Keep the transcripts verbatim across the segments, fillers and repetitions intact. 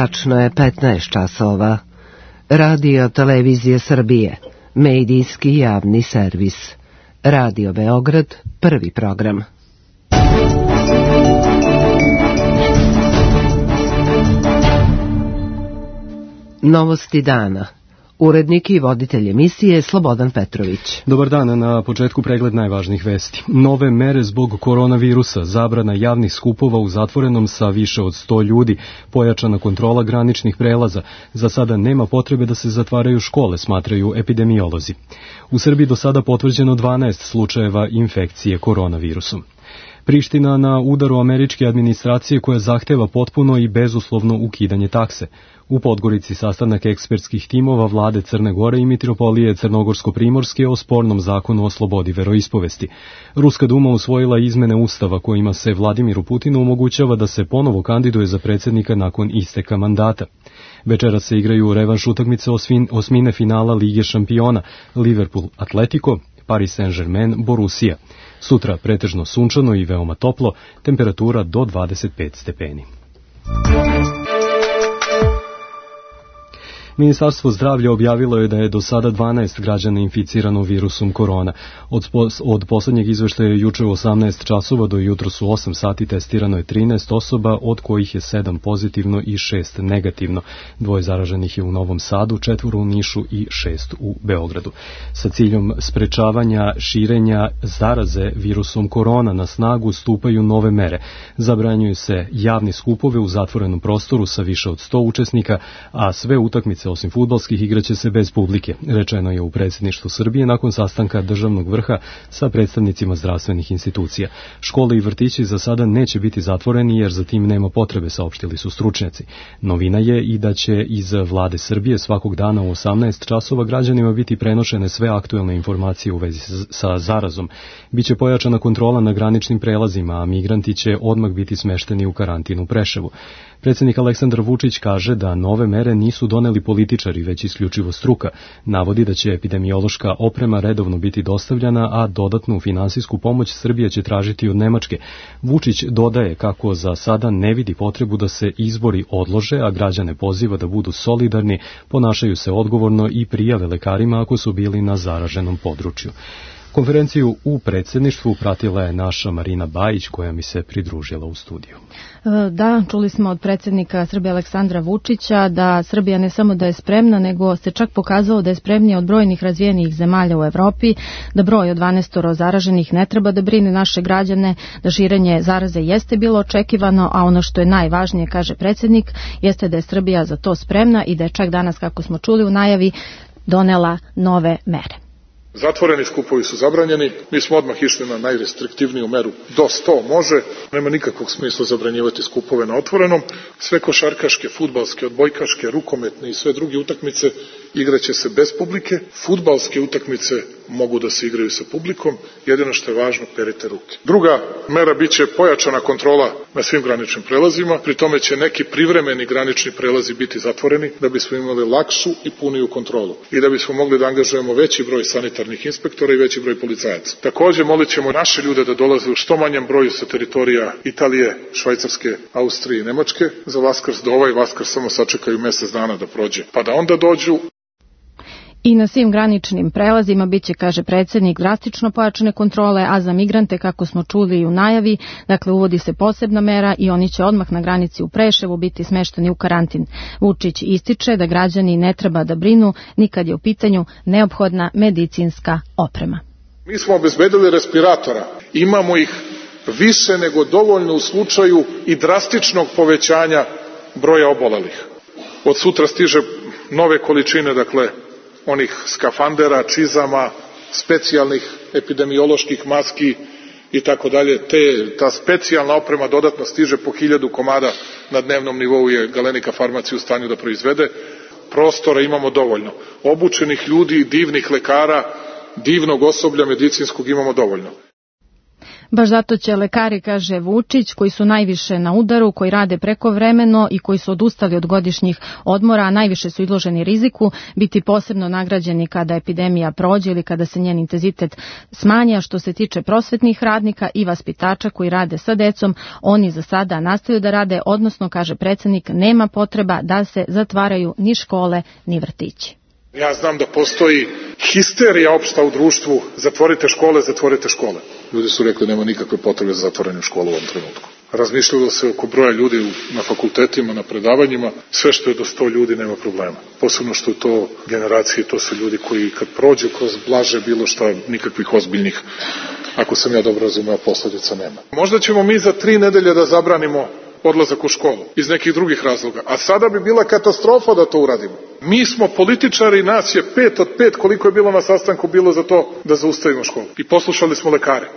Tačno je petnaest časova. Radio Televizije Srbije, medijski javni servis. Radio Beograd, prvi program. Novosti dana. Urednik i voditelj emisije Slobodan Petrović. Dobar dan, na početku pregled najvažnijih vesti. Nove mere zbog koronavirusa, zabrana javnih skupova u zatvorenom sa više od sto ljudi, pojačana kontrola graničnih prelaza. Za sada nema potrebe da se zatvaraju škole, smatraju epidemiolozi. U Srbiji do sada potvrđeno dvanaest slučajeva infekcije koronavirusom. Priština na udaru američke administracije koja zahteva potpuno i bezuslovno ukidanje takse. U Podgorici sastanak ekspertskih timova vlade Crne Gore i mitropolije Crnogorsko-Primorske o spornom zakonu o slobodi veroispovesti. Ruska duma usvojila izmene ustava kojima se Vladimiru Putinu omogućava da se ponovo kandiduje za predsjednika nakon isteka mandata. Večera se igraju revanš utakmice osmine finala Lige šampiona Liverpool Atletico, Paris Saint-Germain Borussia. Sutra pretežno sunčano i veoma toplo, temperatura do dvadeset pet stepeni. Ministarstvo zdravlja objavilo je da je do sada dvanaest građana inficirano virusom korona. Od, od poslednjeg izveštaja juče u osamnaest časova do jutros u osam sati testirano je trinaest osoba, od kojih je sedam pozitivno i šest negativno. Dvoje zaraženih je u Novom Sadu, četvoro u Nišu i šest u Beogradu. Sa ciljom sprečavanja širenja zaraze virusom korona na snagu stupaju nove mere. Zabranjuju se javni skupove u zatvorenom prostoru sa više od sto učesnika, a sve utakmice osim fudbalskih igraće se bez publike, rečeno je u predsjedništvu Srbije nakon sastanka državnog vrha sa predstavnicima zdravstvenih institucija. Škole i vrtići za sada neće biti zatvoreni jer za tim nema potrebe, saopštili su stručnjaci. Novina je i da će iz vlade Srbije svakog dana u osamnaest časova građanima biti prenošene sve aktuelne informacije u vezi sa zarazom. Biće pojačana kontrola na graničnim prelazima, a migranti će odmah biti smešteni u karantin u Preševu. Predsjednik Aleksandar Vučić kaže da nove mere nisu doneli političari, već isključivo struka. Navodi da će epidemiološka oprema redovno biti dostavljana, a dodatnu finansijsku pomoć Srbija će tražiti od Nemačke. Vučić dodaje kako za sada ne vidi potrebu da se izbori odlože, a građane poziva da budu solidarni, ponašaju se odgovorno i prijave lekarima ako su bili na zaraženom području. Konferenciju u predsjedništvu pratila je naša Marina Bajić, koja mi se pridružila u studiju. Da, čuli smo od predsjednika Srbije Aleksandra Vučića da Srbija ne samo da je spremna, nego se čak pokazalo da je spremnija od brojnih razvijenih zemalja u Evropi, da broj od dvanaest zaraženih ne treba da brine naše građane, da širenje zaraze jeste bilo očekivano, a ono što je najvažnije, kaže predsjednik, jeste da je Srbija za to spremna i da je čak danas, kako smo čuli u najavi, donela nove mere. Zatvoreni skupovi su zabranjeni, mi smo odmah išli na najrestriktivniju meru, do sto može, nema nikakvog smisla zabranjivati skupove na otvorenom, sve košarkaške, fudbalske, odbojkaške, rukometne i sve druge utakmice igraće se bez publike, fudbalske utakmice mogu da se igraju sa publikom, jedino što je važno, perite ruke. Druga mera biće pojačana kontrola na svim graničnim prelazima, pri tome će neki privremeni granični prelazi biti zatvoreni da bismo imali lakšu i puniju kontrolu i da bismo mogli da angažujemo veći broj sanitarnih inspektora i veći broj policajaca. Također molit ćemo naše ljude da dolaze u što manjem broju sa teritorija Italije, Švajcarske, Austrije i Nemačke za Vaskrs, da ovaj Vaskrs samo sačekaju mjesec dana da prođe, pa da onda dođu. I na svim graničnim prelazima biće, kaže predsjednik, drastično pojačane kontrole, a za migrante, kako smo čuli i u najavi, dakle uvodi se posebna mera i oni će odmah na granici u Preševu biti smešteni u karantin. Vučić ističe da građani ne treba da brinu nikad je u pitanju neophodna medicinska oprema. Mi smo obezbedili respiratora, imamo ih više nego dovoljno u slučaju i drastičnog povećanja broja obolelih. Od sutra stiže nove količine, dakle, onih skafandera, čizama, specijalnih epidemioloških maski i tako dalje. Te, ta specijalna oprema dodatno stiže po hiljadu komada na dnevnom nivou je Galenika farmacija u stanju da proizvede. Prostora imamo dovoljno. Obučenih ljudi, divnih lekara, divnog osoblja medicinskog imamo dovoljno. Baš zato će lekari, kaže Vučić, koji su najviše na udaru, koji rade prekovremeno i koji su odustali od godišnjih odmora, a najviše su izloženi riziku, biti posebno nagrađeni kada epidemija prođe ili kada se njen intenzitet smanja. Što se tiče prosvetnih radnika i vaspitača koji rade sa decom, oni za sada nastavljaju da rade, odnosno, kaže predsjednik, nema potreba da se zatvaraju ni škole ni vrtići. Ja znam da postoji histerija opšta u društvu, zatvorite škole, zatvorite škole. Ljudi su rekli nema nikakve potrebe za zatvaranje škola u ovom trenutku. Razmišljalo se oko broja ljudi na fakultetima, na predavanjima, sve što je do sto ljudi nema problema. Posebno što je to generacije, to su ljudi koji kad prođu kroz blaže bilo šta, nikakvih ozbiljnih, ako sam ja dobro razumeo, posljedica nema. Možda ćemo mi za tri nedelje da zabranimo odlazak u školu, iz nekih drugih razloga. A sada bi bila katastrofa da to uradimo. Mi smo političari, nas je pet od pet, koliko je bilo na sastanku, bilo za to da zaustavimo školu. I poslušali smo lekare.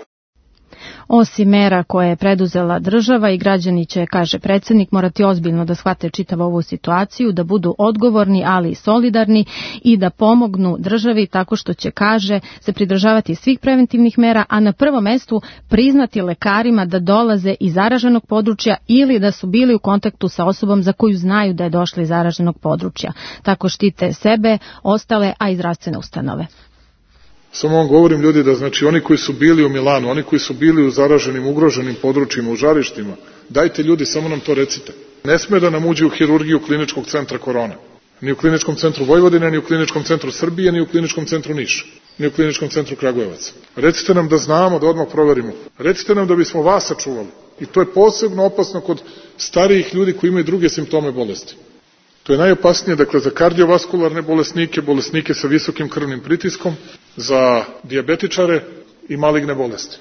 Osim mera koje je preduzela država i građani će, kaže predsjednik, morati ozbiljno da shvate čitavu ovu situaciju, da budu odgovorni, ali i solidarni i da pomognu državi tako što će, kaže, se pridržavati svih preventivnih mera, a na prvom mestu priznati lekarima da dolaze iz zaraženog područja ili da su bili u kontaktu sa osobom za koju znaju da je došla iz zaraženog područja. Tako štite sebe, ostale, a i zdravstvene ustanove. Samo vam govorim, ljudi, da znači oni koji su bili u Milanu, oni koji su bili u zaraženim, ugroženim područjima, u žarištima, dajte ljudi, samo nam to recite. Ne sme da nam uđe u hirurgiju kliničkog centra korona. Ni u kliničkom centru Vojvodine, ni u kliničkom centru Srbije, ni u kliničkom centru Niša, ni u kliničkom centru Kragujevac. Recite nam da znamo, da odmah proverimo. Recite nam da bismo vas sačuvali. I to je posebno opasno kod starijih ljudi koji imaju druge simptome bolesti. To je najopasnije, dakle, za kardiovaskularne bolesnike, bolesnike sa visokim krvnim pritiskom, za dijabetičare i maligne bolesti.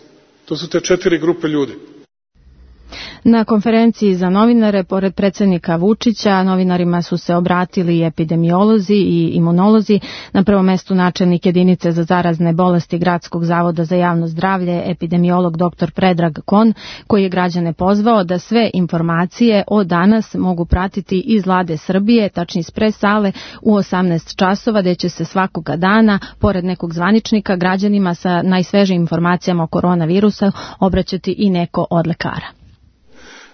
To su te četiri grupe ljudi. Na konferenciji za novinare, pored predsjednika Vučića, novinarima su se obratili epidemiolozi i imunolozi. Na prvom mestu načelnik jedinice za zarazne bolesti Gradskog zavoda za javno zdravlje, epidemiolog doktor Predrag Kon, koji je građane pozvao da sve informacije o danas mogu pratiti iz Vlade Srbije, tačnije iz pres sale u osamnaest časova, gde će se svakoga dana, pored nekog zvaničnika, građanima sa najsvežijim informacijama o koronavirusu obraćati i neko od lekara.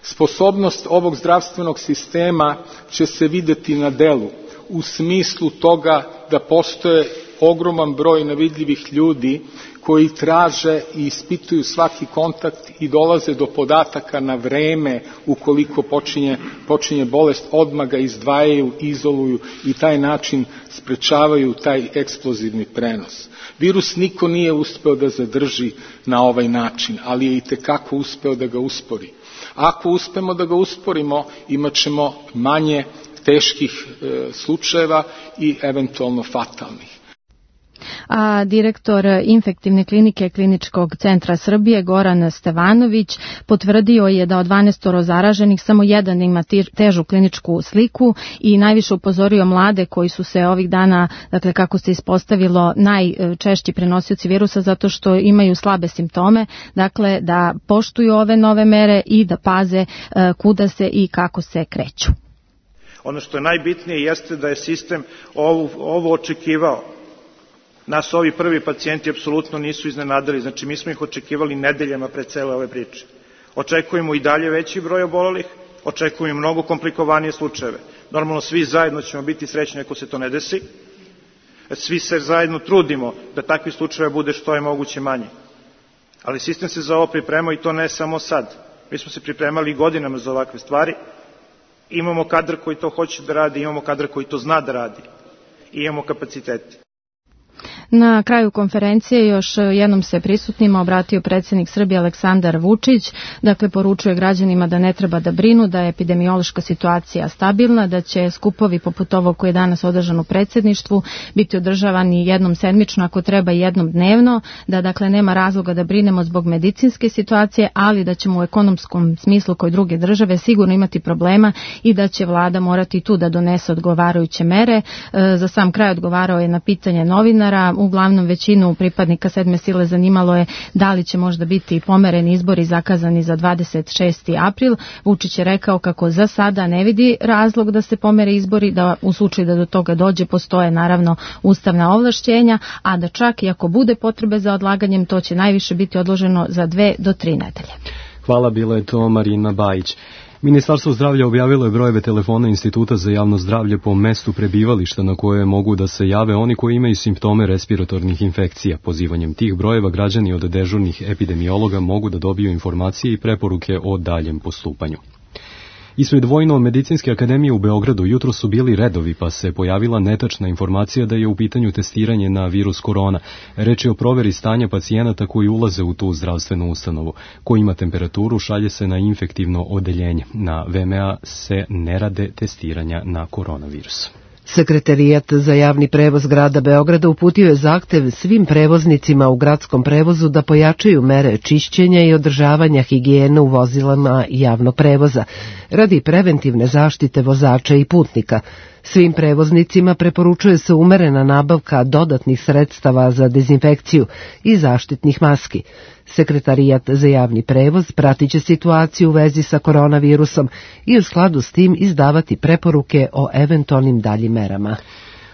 Sposobnost ovog zdravstvenog sistema će se videti na delu u smislu toga da postoje ogroman broj nevidljivih ljudi koji traže i ispituju svaki kontakt i dolaze do podataka na vreme ukoliko počinje, počinje bolest, odmah ga izdvajaju, izoluju i taj način sprečavaju taj eksplozivni prenos. Virus niko nije uspeo da zadrži na ovaj način, ali je itekako uspeo da ga uspori. Ako uspemo da ga usporimo, imat ćemo manje teških e, slučajeva i eventualno fatalnih. A direktor infektivne klinike Kliničkog centra Srbije Goran Stevanović potvrdio je da od dvanaest zaraženih samo jedan ima težu kliničku sliku i najviše upozorio mlade koji su se ovih dana, dakle kako se ispostavilo, najčešći prenosioci virusa zato što imaju slabe simptome, dakle da poštuju ove nove mere i da paze kuda se i kako se kreću. Ono što je najbitnije jeste da je sistem ovo, ovo očekivao. Nas ovi prvi pacijenti apsolutno nisu iznenadili, znači mi smo ih očekivali nedeljama pred cele ove priče. Očekujemo i dalje veći broj obolelih, očekujemo mnogo komplikovanije slučajeve. Normalno svi zajedno ćemo biti srećni ako se to ne desi, svi se zajedno trudimo da takvi slučajeva bude što je moguće manje. Ali sistem se za ovo pripremao i to ne samo sad. Mi smo se pripremali godinama za ovakve stvari, imamo kadar koji to hoće da radi, imamo kadar koji to zna da radi i imamo kapacitete. Na kraju konferencije još jednom se prisutnima obratio predsjednik Srbije Aleksandar Vučić, dakle poručuje građanima da ne treba da brinu, da je epidemiološka situacija stabilna, da će skupovi poput ovog koji je danas održan u predsjedništvu biti održavani jednom sedmično, ako treba i jednom dnevno, da dakle nema razloga da brinemo zbog medicinske situacije, ali da ćemo u ekonomskom smislu kao i druge države sigurno imati problema i da će vlada morati tu da donese odgovarajuće mere. Za sam kraj odgovarao je na pitanje novinara uglavnom većinu pripadnika sedme sile zanimalo je da li će možda biti pomereni izbori zakazani za dvadeset šesti april. Vučić je rekao kako za sada ne vidi razlog da se pomere izbori, da u slučaju da do toga dođe postoje naravno ustavna ovlašćenja, a da čak i ako bude potrebe za odlaganjem, to će najviše biti odloženo za dve do tri nedelje. Hvala, bila je to Marina Bajić. Ministarstvo zdravlja objavilo je brojeve telefona Instituta za javno zdravlje po mestu prebivališta na koje mogu da se jave oni koji imaju simptome respiratornih infekcija. Pozivanjem tih brojeva građani od dežurnih epidemiologa mogu da dobiju informacije i preporuke o daljem postupanju. Ispred Vojno-medicinske akademije u Beogradu jutro su bili redovi, pa se pojavila netačna informacija da je u pitanju testiranje na virus korona. Reč je o proveri stanja pacijenata koji ulaze u tu zdravstvenu ustanovu. Ko ima temperaturu, šalje se na infektivno odeljenje. Na V M A se ne rade testiranja na koronavirus. Sekretarijat za javni prevoz grada Beograda uputio je zahtev svim prevoznicima u gradskom prevozu da pojačaju mere čišćenja i održavanja higijene u vozilama javnog prevoza radi preventivne zaštite vozača i putnika. Svim prevoznicima preporučuje se umerena nabavka dodatnih sredstava za dezinfekciju i zaštitnih maski. Sekretarijat za javni prevoz pratit će situaciju u vezi sa koronavirusom i u skladu s tim izdavati preporuke o eventualnim daljim merama.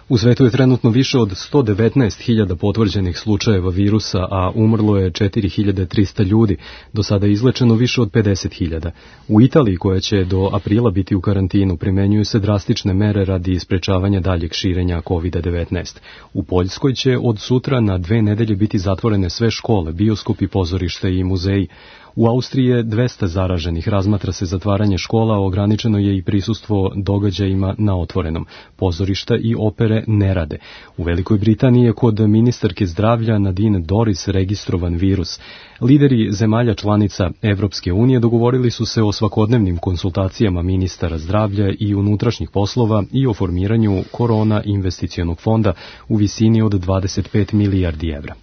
U svetu je trenutno više od sto devetnaest hiljada potvrđenih slučajeva virusa, a umrlo je četiri hiljade trista ljudi. Do sada je izlečeno više od pedeset hiljada. U Italiji, koja će do aprila biti u karantinu, primenjuju se drastične mere radi sprečavanja daljeg širenja kovid devetnaest. U Poljskoj će od sutra na dve nedelje biti zatvorene sve škole, bioskopi, pozorište i muzeji. U Austriji je dvesta zaraženih, razmatra se zatvaranje škola, ograničeno je i prisustvo događajima na otvorenom. Pozorišta i opere ne rade. U Velikoj Britaniji je kod ministarke zdravlja Nadine Doris registrovan virus. Lideri zemalja članica Evropske unije dogovorili su se o svakodnevnim konsultacijama ministara zdravlja i unutrašnjih poslova i o formiranju korona investicionog fonda u visini od dvadeset pet milijardi evra.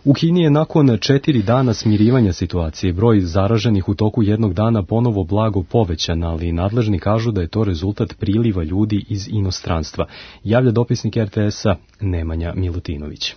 U Kini je nakon četiri dana smirivanja situacije broj zaraženih u toku jednog dana ponovo blago povećan, ali nadležni kažu da je to rezultat priliva ljudi iz inostranstva. Javlja dopisnik R T S-a Nemanja Milutinović.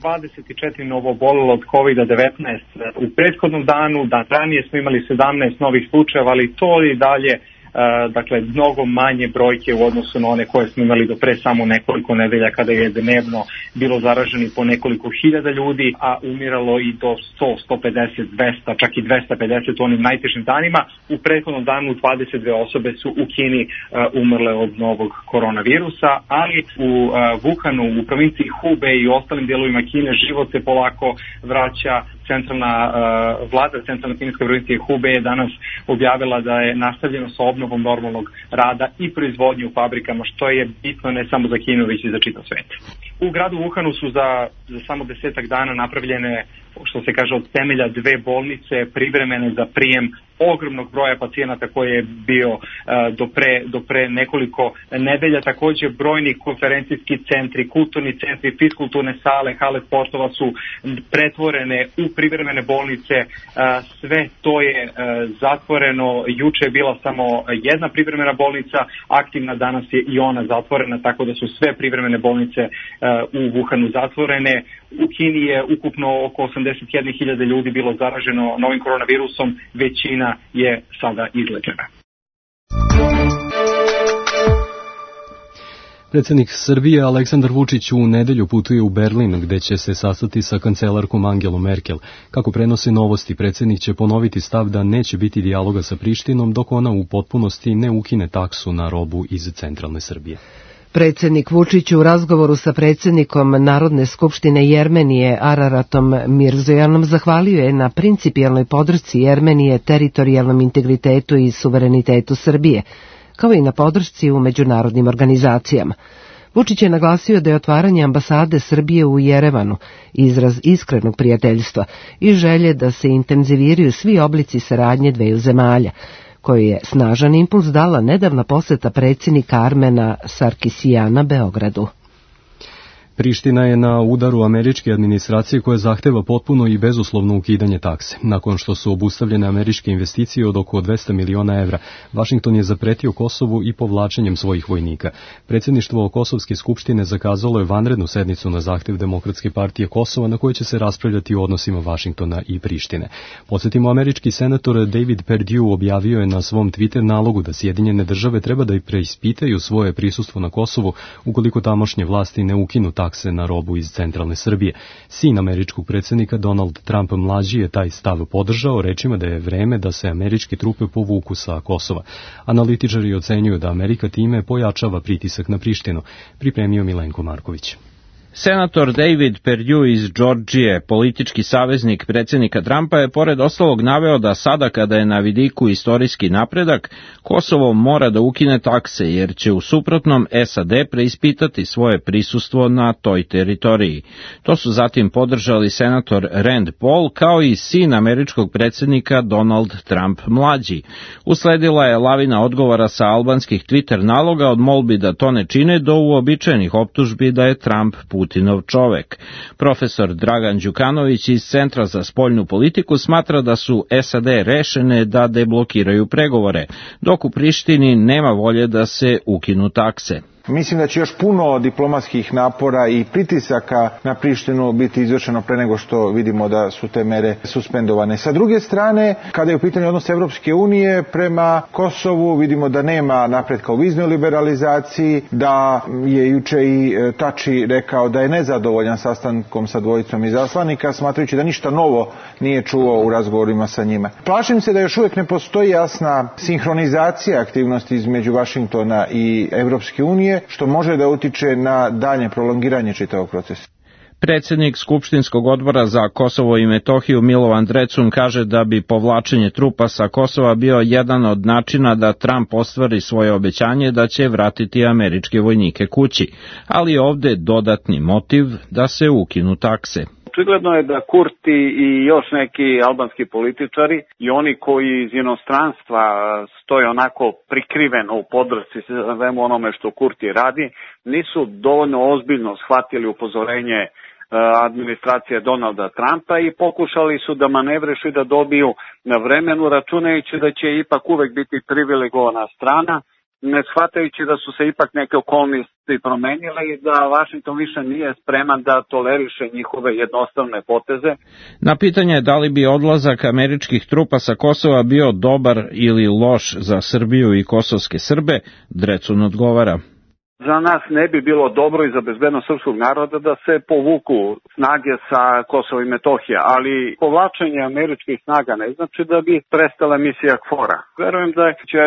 dvadeset četiri novoobolelo od kovid devetnaest. U prethodnom danu, dan ranije smo imali sedamnaest novih slučajeva, ali to i dalje Uh, dakle, mnogo manje brojke u odnosu na one koje smo imali do pre samo nekoliko nedelja kada je dnevno bilo zaraženi po nekoliko hiljada ljudi, a umiralo i do sto, sto pedeset, dvesta, čak i dvesta pedeset u onim najtežim danima. U prethodnom danu dvadeset dve osobe su u Kini uh, umrle od novog koronavirusa, ali u uh, Wuhanu, u provinciji Hubei i ostalim dijelovima Kine život se polako vraća. Centralna uh, vlada, centralna kineska provincija Hubei je danas objavila da je nastavljeno sa obnovom normalnog rada i proizvodnje u fabrikama, što je bitno ne samo za Kinu, već i za čitav svet. U gradu Wuhanu su za, za samo desetak dana napravljene, što se kaže, od temelja dve bolnice privremene za prijem ogromnog broja pacijenata koji je bio uh, do, pre, do pre nekoliko nedelja. Također brojni konferencijski centri, kulturni centri, fiskulturne sale, hale sportova su pretvorene u privremene bolnice. Uh, sve to je uh, zatvoreno. Juče je bila samo jedna privremena bolnica, aktivna, danas je i ona zatvorena, tako da su sve privremene bolnice uh, u Wuhanu zatvorene. U Kini je ukupno oko osamdeset jedna hiljada ljudi bilo zaraženo novim koronavirusom, većina je sada izlečena. Predsjednik Srbije Aleksandar Vučić u nedelju putuje u Berlin, gde će se sastati sa kancelarkom Angelom Merkel. Kako prenose Novosti, predsjednik će ponoviti stav da neće biti dijaloga sa Prištinom dok ona u potpunosti ne ukine taksu na robu iz centralne Srbije. Predsjednik Vučić u razgovoru sa predsjednikom Narodne skupštine Jermenije Araratom Mirzojanom zahvalio je na principijelnoj podršci Jermenije teritorijalnom integritetu i suverenitetu Srbije, kao i na podršci u međunarodnim organizacijama. Vučić je naglasio da je otvaranje ambasade Srbije u Jerevanu izraz iskrenog prijateljstva i želje da se intenziviraju svi oblici saradnje dveju zemalja, koji je snažan impuls dala nedavna poseta predsjednika Armena Sarkisijana Beogradu. Priština je na udaru američke administracije koja zahteva potpuno i bezuslovno ukidanje takse. Nakon što su obustavljene američke investicije od oko dvesta miliona evra, Vašington je zapretio Kosovu i povlačenjem svojih vojnika. Predsjedništvo Kosovske skupštine zakazalo je vanrednu sednicu na zahtev Demokratske partije Kosova na kojoj će se raspravljati o odnosima Vašingtona i Prištine. Podsjetimo, američki senator David Perdue objavio je na svom Twitter nalogu da Sjedinjene države treba da i preispitaju svoje prisustvo na Kosovu ukoliko tamošnje vlasti ne ukinu takse na robu iz centralne Srbije. Sin američkog predsjednika Donald Trump mlađi je taj stav podržao rečima da je vreme da se američke trupe povuku sa Kosova. Analitičari ocenjuju da Amerika time pojačava pritisak na Prištinu, pripremio Milenko Marković. Senator David Perdue iz Džordžije, politički saveznik predsjednika Trumpa, je pored ostalog naveo da sada kada je na vidiku istorijski napredak, Kosovo mora da ukine takse jer će u suprotnom S A D preispitati svoje prisustvo na toj teritoriji. To su zatim podržali senator Rand Paul kao i sin američkog predsjednika Donald Trump mlađi. Usledila je lavina odgovora sa albanskih Twitter naloga od molbi da to ne čine do uobičajenih optužbi da je Trump Putinov čovek. Profesor Dragan Đukanović iz Centra za spoljnu politiku smatra da su S A D rešene da deblokiraju pregovore, dok u Prištini nema volje da se ukinu takse. Mislim da će još puno diplomatskih napora i pritisaka na Prištinu biti izvršeno pre nego što vidimo da su te mere suspendovane. Sa druge strane, kada je u pitanju odnos Evropske unije prema Kosovu, vidimo da nema napretka u viznoj liberalizaciji, da je juče i Tači rekao da je nezadovoljan sastankom sa dvojicom izaslanika, smatrajući da ništa novo nije čuo u razgovorima sa njima. Plašim se da još uvijek ne postoji jasna sinhronizacija aktivnosti između Vašingtona i Evropske unije, što može da utiče na dalje prolongiranje čitavog procesa. Predsjednik Skupštinskog odbora za Kosovo i Metohiju Milovan Drecun kaže da bi povlačenje trupa sa Kosova bio jedan od načina da Trump ostvari svoje obećanje da će vratiti američke vojnike kući, ali ovde dodatni motiv da se ukinu takse. Očigledno je da Kurti i još neki albanski političari i oni koji iz inostranstva stoje onako prikriveno u podršci svemu onome što Kurti radi, nisu dovoljno ozbiljno shvatili upozorenje administracije Donalda Trumpa i pokušali su da manevrešu i da dobiju na vremenu, računajući da će ipak uvek biti privilegovana strana, ne shvatajući da su se ipak neke okolnosti promenile i da Vašington više nije spreman da toleriše njihove jednostavne poteze. Na pitanje da li bi odlazak američkih trupa sa Kosova bio dobar ili loš za Srbiju i kosovske Srbe, Drecun odgovara. Za nas ne bi bilo dobro i za bezbednost srpskog naroda da se povuku snage sa Kosova i Metohije, ali povlačenje američkih snaga ne znači da bi prestala misija KFOR-a. Verujem da će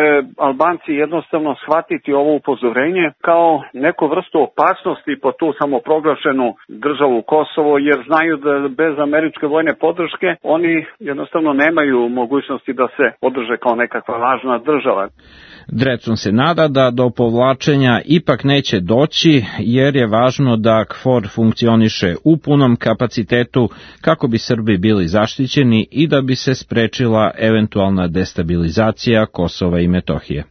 Albanci jednostavno shvatiti ovo upozorenje kao neku vrstu opasnosti po tu samoproglašenu državu Kosovo, jer znaju da bez američke vojne podrške oni jednostavno nemaju mogućnosti da se održe kao nekakva važna država. Drecun se nada da do povlačenja ipak neće doći, jer je važno da KFOR funkcioniše u punom kapacitetu kako bi Srbi bili zaštićeni i da bi se sprečila eventualna destabilizacija Kosova i Metohije.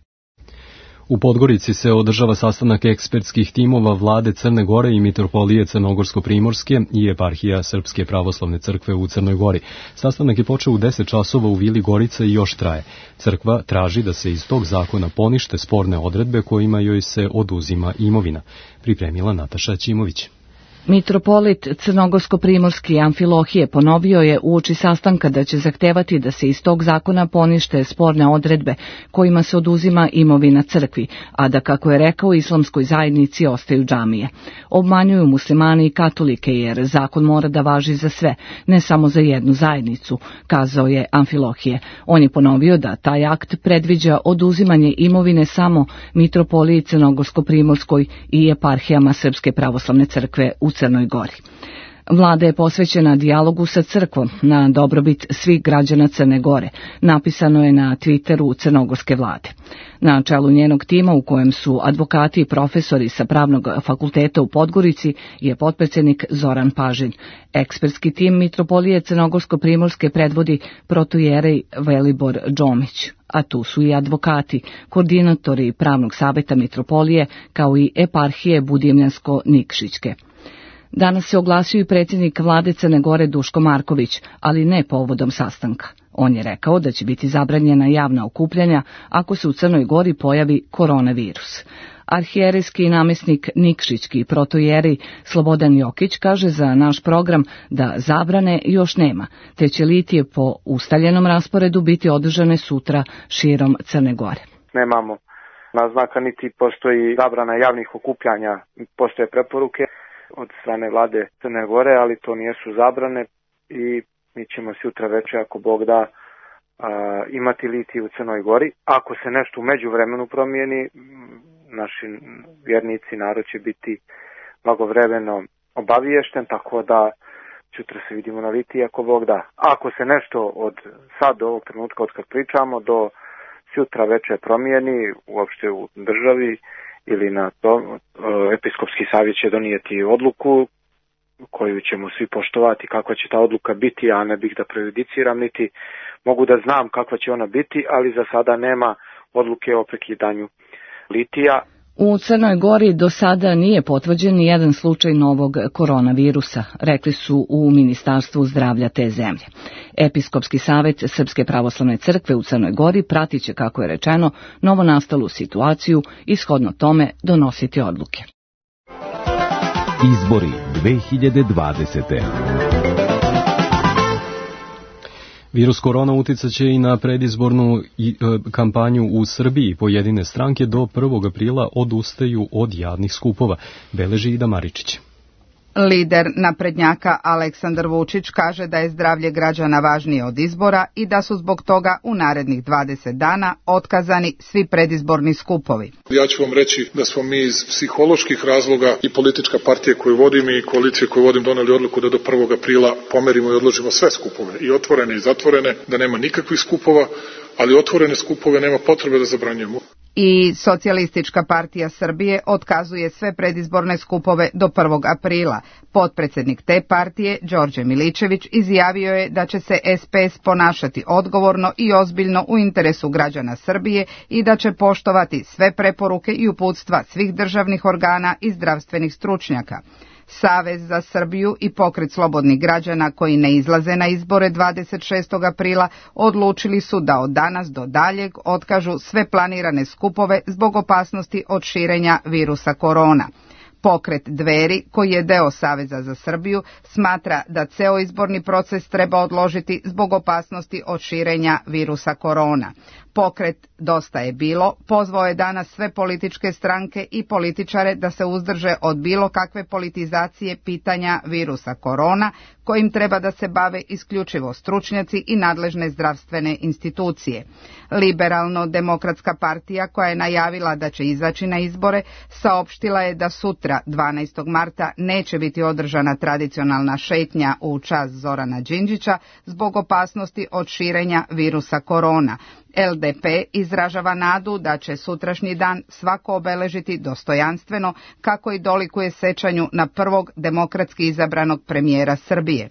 U Podgorici se održava sastanak ekspertskih timova vlade Crne Gore i mitropolije Crnogorsko-Primorske i eparhija Srpske pravoslavne crkve u Crnoj Gori. Sastanak je počeo u deset časova u Vili Gorica i još traje. Crkva traži da se iz tog zakona ponište sporne odredbe kojima joj se oduzima imovina. Pripremila Nataša Ćimović. Mitropolit Crnogorsko-Primorski Amfilohije ponovio je uoči sastanka da će zahtevati da se iz tog zakona ponište sporne odredbe kojima se oduzima imovina crkvi, a da, kako je rekao, islamskoj zajednici ostaju džamije. Obmanjuju muslimani i katolike jer zakon mora da važi za sve, ne samo za jednu zajednicu, kazao je Amfilohije. On je ponovio da taj akt predviđa oduzimanje imovine samo mitropoliji Crnogorsko-Primorskoj i eparhijama Srpske pravoslavne crkve u Crnoj Gori. Vlada je posvećena dijalogu sa crkvom na dobrobit svih građana Crne Gore, napisano je na Twitteru crnogorske vlade. Na čelu njenog tima, u kojem su advokati i profesori sa Pravnog fakulteta u Podgorici, je potpredsjednik Zoran Pažin. Ekspertski tim mitropolije Crnogorsko-Primorske predvodi protoijerej Velibor Džomić, a tu su i advokati, koordinatori Pravnog saveta mitropolije, kao i eparhije Budimljansko-Nikšićke. Danas se oglasio i predsjednik vlade Crne Gore Duško Marković, ali ne povodom sastanka. On je rekao da će biti zabranjena javna okupljanja ako se u Crnoj Gori pojavi koronavirus. Arhijerejski namjesnik Nikšićki protojeri Slobodan Jokić kaže za naš program da zabrane još nema, te će litije po ustaljenom rasporedu biti održane sutra širom Crne Gore. Nemamo naznaka niti postoji zabrana javnih okupljanja, postoje preporuke od strane vlade Crne Gore, ali to nijesu zabrane i mi ćemo sutra večer, ako Bog da, a, imati litij u Crnoj Gori. Ako se nešto u međuvremenu promijeni, naši vjernici, narod će biti blagovremeno obaviješten, tako da sutra se vidimo na litiji, ako Bog da. Ako se nešto od sad do ovog trenutka, od kad pričamo, do sutra večer promijeni, uopšte u državi ili na to, episkopski savjet će donijeti odluku koju ćemo svi poštovati, kakva će ta odluka biti, ja ne bih da prejudiciram, niti mogu da znam kakva će ona biti, ali za sada nema odluke o prekidanju litija. U Crnoj Gori do sada nije potvrđen ni jedan slučaj novog koronavirusa, rekli su u Ministarstvu zdravlja te zemlje. Episkopski savjet Srpske pravoslavne crkve u Crnoj Gori pratit će, kako je rečeno, novonastalu situaciju i shodno tome donositi odluke. Izbori dve hiljade dvadesete. Virus korona uticat će i na predizbornu i, e, kampanju u Srbiji. Pojedine stranke do prvog aprila odustaju od javnih skupova, beleži Ida Maričić. Lider naprednjaka Aleksandar Vučić kaže da je zdravlje građana važnije od izbora i da su zbog toga u narednih dvadeset dana otkazani svi predizborni skupovi. Ja ću vam reći da smo mi iz psiholoških razloga i politička partija koju vodim i koalicija koju vodim doneli odluku da do prvog aprila pomerimo i odložimo sve skupove, i otvorene i zatvorene, da nema nikakvih skupova, ali otvorene skupove nema potrebe da zabranjujemo. I Socijalistička partija Srbije otkazuje sve predizborne skupove do prvog aprila. Potpredsjednik te partije, Đorđe Miličević, izjavio je da će se es pe es ponašati odgovorno i ozbiljno u interesu građana Srbije i da će poštovati sve preporuke i uputstva svih državnih organa i zdravstvenih stručnjaka. Savez za Srbiju i Pokret slobodnih građana koji ne izlaze na izbore dvadeset šestog aprila odlučili su da od danas do daljeg otkažu sve planirane skupove zbog opasnosti od širenja virusa korona. Pokret Dveri, koji je deo Saveza za Srbiju, smatra da ceo izborni proces treba odložiti zbog opasnosti od širenja virusa korona. Pokret Dosta je bilo pozvao je danas sve političke stranke i političare da se uzdrže od bilo kakve politizacije pitanja virusa korona, kojim treba da se bave isključivo stručnjaci i nadležne zdravstvene institucije. Liberalno-demokratska partija, koja je najavila da će izaći na izbore, saopštila je da sutra, dvanaestog marta, neće biti održana tradicionalna šetnja u čast Zorana Đinđića zbog opasnosti od širenja virusa korona. el de pe izražava nadu da će sutrašnji dan svako obeležiti dostojanstveno, kako i dolikuje sećanju na prvog demokratski izabranog premijera Srbije.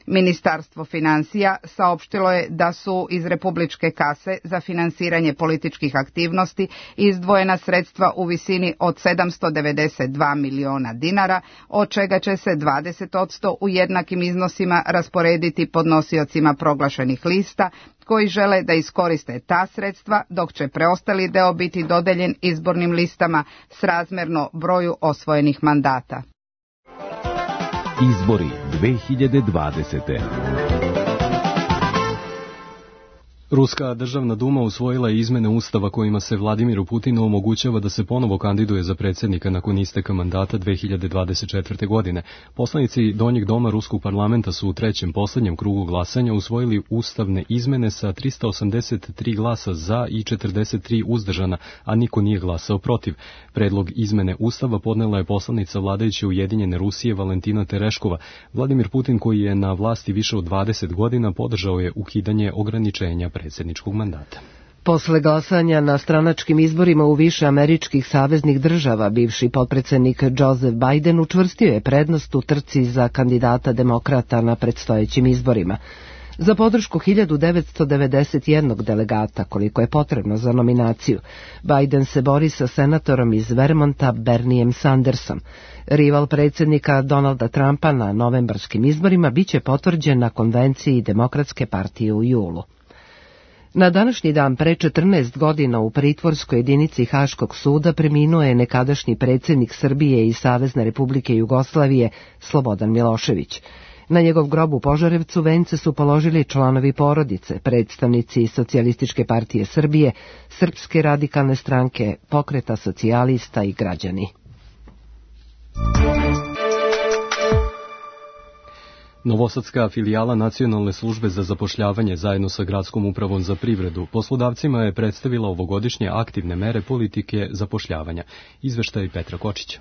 Ministarstvo financija saopštilo je da su iz republičke kase za finansiranje političkih aktivnosti izdvojena sredstva u visini od sedamsto devedeset dva miliona dinara, od čega će se dvadeset posto u jednakim iznosima rasporediti podnosiocima proglašenih lista koji žele da iskoriste ta sredstva, dok će preostali deo biti dodeljen izbornim listama srazmerno broju osvojenih mandata. Izbori dve hiljade dvadesete. Ruska državna duma usvojila je izmene ustava kojima se Vladimiru Putinu omogućava da se ponovo kandiduje za predsjednika nakon isteka mandata dve hiljade dvadeset četvrte. godine. Poslanici Donjeg doma Ruskog parlamenta su u trećem poslednjem krugu glasanja usvojili ustavne izmene sa trista osamdeset tri glasa za i četrdeset tri uzdržana, a niko nije glasao protiv. Predlog izmene ustava podnela je poslanica vladajuće Ujedinjene Rusije Valentina Tereškova. Vladimir Putin, koji je na vlasti više od dvadeset godina, podržao je ukidanje ograničenja predsjedničkog mandata. Posle glasanja na stranačkim izborima u više američkih saveznih država, bivši potpredsjednik Joseph Biden učvrstio je prednost u trci za kandidata demokrata na predstojećim izborima. za podršku hiljadu devetsto devedeset jednog delegata, koliko je potrebno za nominaciju. Biden se bori sa senatorom iz Vermonta Bernijem Sandersom. Rival predsjednika Donalda Trumpa na novembarskim izborima biće potvrđen na konvenciji Demokratske partije u julu. Na današnji dan pre četrnaest godina u pritvorskoj jedinici Haškog suda preminuo je nekadašnji predsjednik Srbije i Savezne Republike Jugoslavije Slobodan Milošević. Na njegov grob u Požarevcu vence su položili članovi porodice, predstavnici Socijalističke partije Srbije, Srpske radikalne stranke, Pokreta socijalista i građani. Novosadska filijala Nacionalne službe za zapošljavanje zajedno sa Gradskom upravom za privredu poslodavcima je predstavila ovogodišnje aktivne mere politike zapošljavanja. Izveštaj Petra Kočića.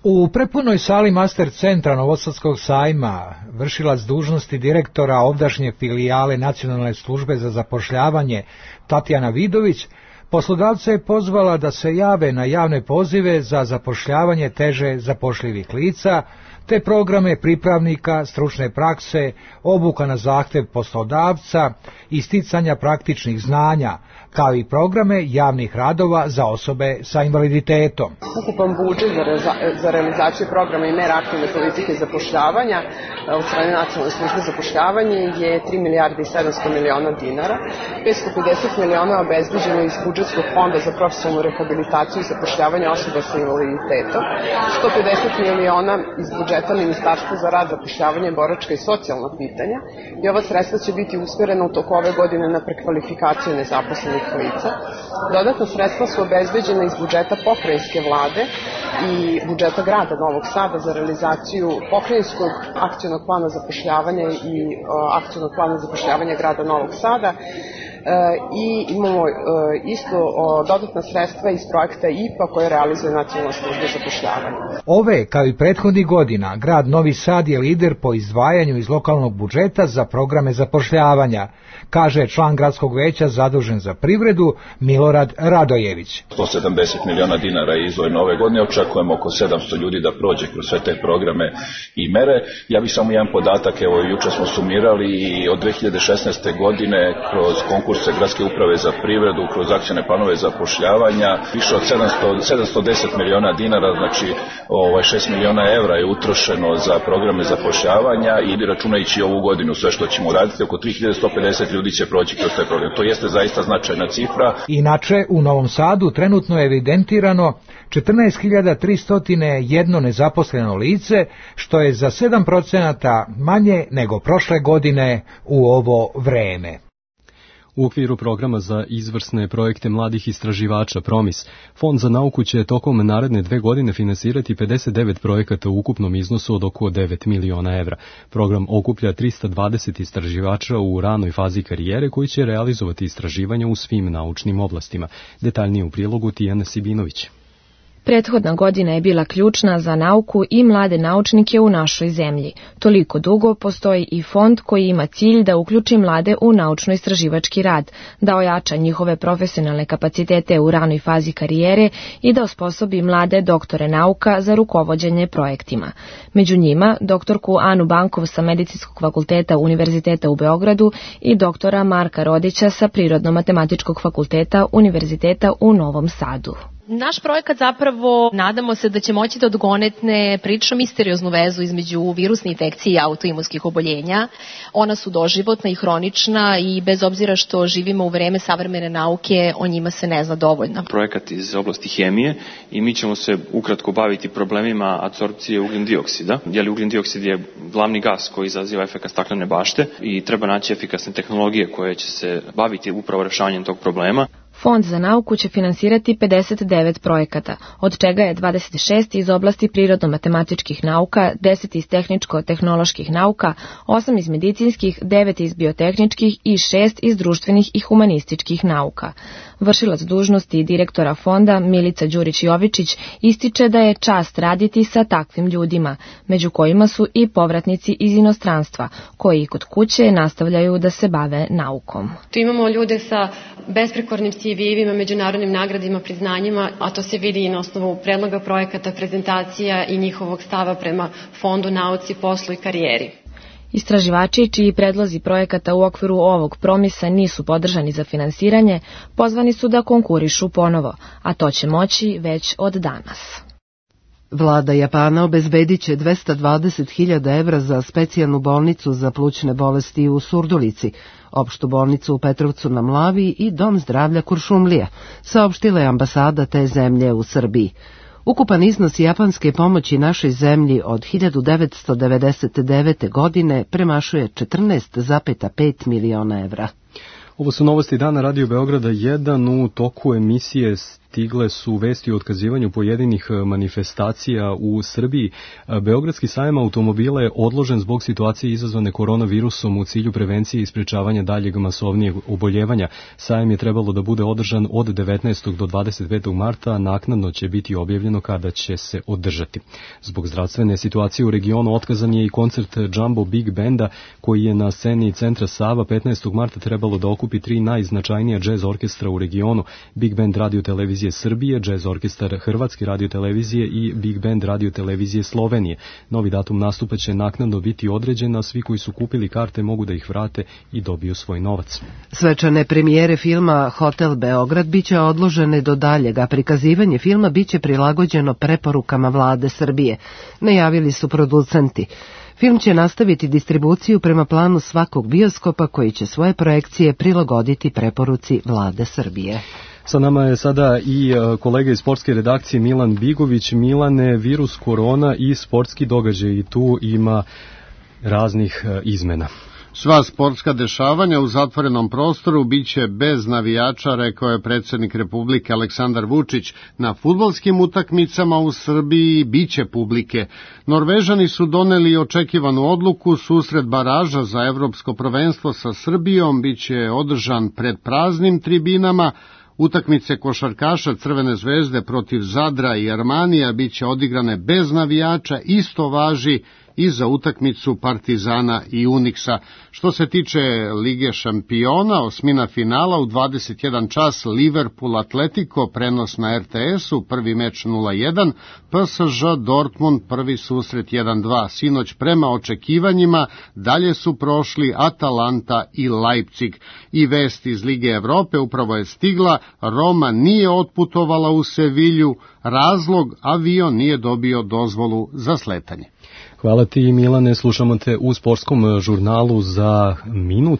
U prepunoj sali Master centra Novosadskog sajma vršilac dužnosti direktora ovdašnje filijale Nacionalne službe za zapošljavanje Tatjana Vidović poslodavce je pozvala da se jave na javne pozive za zapošljavanje teže zapošljivih lica, te programe pripravnika, stručne prakse, obuka na zahtev poslodavca, isticanja praktičnih znanja, kao i programe javnih radova za osobe sa invaliditetom. Ukupan budžet za, reza, za realizaciju programa i mera aktivne politike zapošljavanja od strane Nacionalne službe za zapošljavanje je tri milijarde i sedamsto miliona dinara. petsto pedeset miliona obezbeđeno iz budžetskog fonda za profesionalnu rehabilitaciju i zapošljavanje osoba sa invaliditetom, sto pedeset miliona iz budžeta Ministarstva za rad, zapošljavanje, boračka i socijalna pitanja i ova sredstva će biti usmjerena u toku ove godine na prekvalifikaciju nezaposlenih lica. Dodatna sredstva su obezbeđena iz budžeta pokrajinske vlade i budžeta grada Novog Sada za realizaciju pokrajinskog akcionog plana zapošljavanja i akcionog plana zapošljavanja grada Novog Sada. E, i imamo e, isto o, dodatna sredstva iz projekta I P A koje realizuje Nacionalna služba za zapošljavanje. Ove, kao i prethodnih godina, grad Novi Sad je lider po izdvajanju iz lokalnog budžeta za programe zapošljavanja, kaže član gradskog veća zadužen za privredu Milorad Radojević. sto sedamdeset miliona dinara je izdvojeno ove godine, očekujemo oko sedamsto ljudi da prođe kroz sve te programe i mere. Ja bih samo jedan podatak, evo juče smo sumirali i od dve hiljade šesnaeste godine kroz konkurse Gradske uprave za privredu, kroz akcione planove zapošljavanja, više od sedamsto, sedamsto deset miliona dinara, znači ovaj, šest miliona evra je utrošeno za programe zapošljavanja i računajući ovu godinu sve što ćemo raditi, oko tri hiljade sto pedeset ljudi će proći kroz taj program. To jeste zaista značajna cifra. Inače, u Novom Sadu trenutno je evidentirano četrnaest hiljada tristo jedan nezaposleno lice, što je za sedam procenata manje nego prošle godine u ovo vreme. U okviru programa za izvrsne projekte mladih istraživača Promis, Fond za nauku će tokom naredne dve godine finansirati pedeset devet projekata u ukupnom iznosu od oko devet miliona evra. Program okuplja trista dvadeset istraživača u ranoj fazi karijere koji će realizovati istraživanja u svim naučnim oblastima. Detaljnije u prilogu Tijana Sibinović. Prethodna godina je bila ključna za nauku i mlade naučnike u našoj zemlji. Toliko dugo postoji i fond koji ima cilj da uključi mlade u naučno-istraživački rad, da ojača njihove profesionalne kapacitete u ranoj fazi karijere i da osposobi mlade doktore nauka za rukovođenje projektima. Među njima doktorku Anu Bankov sa Medicinskog fakulteta Univerziteta u Beogradu i doktora Marka Rodića sa Prirodno-matematičkog fakulteta Univerziteta u Novom Sadu. Naš projekat zapravo, nadamo se da će moći da odgonetne prilično misterioznu vezu između virusne infekcije i autoimunskih oboljenja. Ona su doživotna i hronična i bez obzira što živimo u vreme savremene nauke, o njima se ne zna dovoljno. Projekat iz oblasti hemije i mi ćemo se ukratko baviti problemima apsorpcije ugljen dioksida. Jer ugljen dioksid je glavni gas koji izaziva efekat staklene bašte i treba naći efikasne tehnologije koje će se baviti upravo rešavanjem tog problema. Fond za nauku će finansirati pedeset devet projekata, od čega je dvadeset šest iz oblasti prirodno-matematičkih nauka, deset iz tehničko-tehnoloških nauka, osam iz medicinskih, devet iz biotehničkih i šest iz društvenih i humanističkih nauka. Vršilac dužnosti direktora fonda Milica Đurić-Jovičić ističe da je čast raditi sa takvim ljudima, među kojima su i povratnici iz inostranstva, koji kod kuće nastavljaju da se bave naukom. Tu imamo ljude sa besprekornim C V-evima, međunarodnim nagradima, priznanjima, a to se vidi i na osnovu predloga projekata, prezentacija i njihovog stava prema fondu, nauci, poslu i karijeri. Istraživači čiji predlozi projekata u okviru ovog promisa nisu podržani za finansiranje, pozvani su da konkurišu ponovo, a to će moći već od danas. Vlada Japana obezbedit će dvesta dvadeset hiljada evra za specijalnu bolnicu za plućne bolesti u Surdulici, opštu bolnicu u Petrovcu na Mlavi i dom zdravlja Kuršumlija, saopštila je ambasada te zemlje u Srbiji. Ukupan iznos japanske pomoći našoj zemlji od hiljadu devetsto devedeset devete. godine premašuje četrnaest zarez pet miliona evra. Ovo su novosti dana Radio Beograda jedan. U toku emisije stigle su vesti o otkazivanju pojedinih manifestacija u Srbiji. Beogradski sajam automobila je odložen zbog situacije izazvane koronavirusom u cilju prevencije i sprečavanja daljeg masovnijeg oboljevanja. Sajam je trebalo da bude održan od devetnaestog do dvadeset petog marta, a naknadno će biti objavljeno kada će se održati. Zbog zdravstvene situacije u regionu otkazan je i koncert Jumbo Big Benda koji je na sceni centra Sava petnaestog marta trebalo da okupi tri najznačajnija džez orkestra u regionu: Big Band Radio Televizije Srbije, Džez orkestar Hrvatske radiotelevizije i Big Band radiotelevizije Slovenije. Novi datum nastupa će naknadno biti određen, a svi koji su kupili karte mogu da ih vrate i dobiju svoj novac. Svečane premijere filma Hotel Beograd biće odložene do daljeg, a prikazivanje filma biće prilagođeno preporukama vlade Srbije, najavili su producenti. Film će nastaviti distribuciju prema planu svakog bioskopa koji će svoje projekcije prilagoditi preporuci vlade Srbije. Sa nama je sada i kolega iz sportske redakcije Milan Bigović. Milane, virus korona i sportski događaj, i tu ima raznih izmena. Sva sportska dešavanja u zatvorenom prostoru biće bez navijača, rekao je predsjednik Republike Aleksandar Vučić. Na fudbalskim utakmicama u Srbiji biće publike. Norvežani su doneli očekivanu odluku, susret baraža za evropsko prvenstvo sa Srbijom biće održan pred praznim tribinama. Utakmice košarkaša Crvene zvezde protiv Zadra i Armanija biće odigrane bez navijača, isto važi i za utakmicu Partizana i Uniksa. Što se tiče Lige šampiona, osmina finala u dvadeset jedan čas Liverpool Atletico, prenos na er te esu, prvi meč nula jedan, pe es že Dortmund, prvi susret jedan dva. Sinoć prema očekivanjima dalje su prošli Atalanta i Leipzig. I vest iz Lige Evrope upravo je stigla, Roma nije otputovala u Sevilju, razlog avion nije dobio dozvolu za sletanje. Hvala ti, Milane, slušamo te u sportskom žurnalu za minut.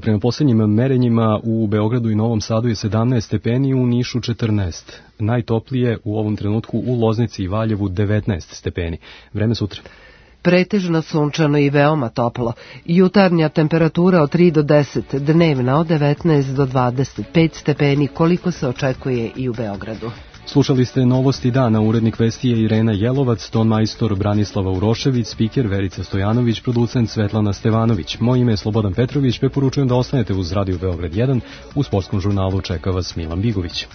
Prema posljednjim merenjima u Beogradu i Novom Sadu je sedamnaest stepeni, u Nišu četrnaest. Najtoplije u ovom trenutku u Loznici i Valjevu devetnaest stepeni. Vreme sutra. Pretežno sunčano i veoma toplo. Jutarnja temperatura od tri do deset, dnevna od devetnaest do dvadeset pet stepeni, koliko se očekuje i u Beogradu. Slušali ste novosti dana, urednik vesti je Irena Jelovac, ton majstor Branislava Urošević, spiker Verica Stojanović, producent Svetlana Stevanović. Moje ime je Slobodan Petrović, preporučujem da ostanete uz Radio Beograd jedan, u sportskom žurnalu čeka vas Milan Bigović.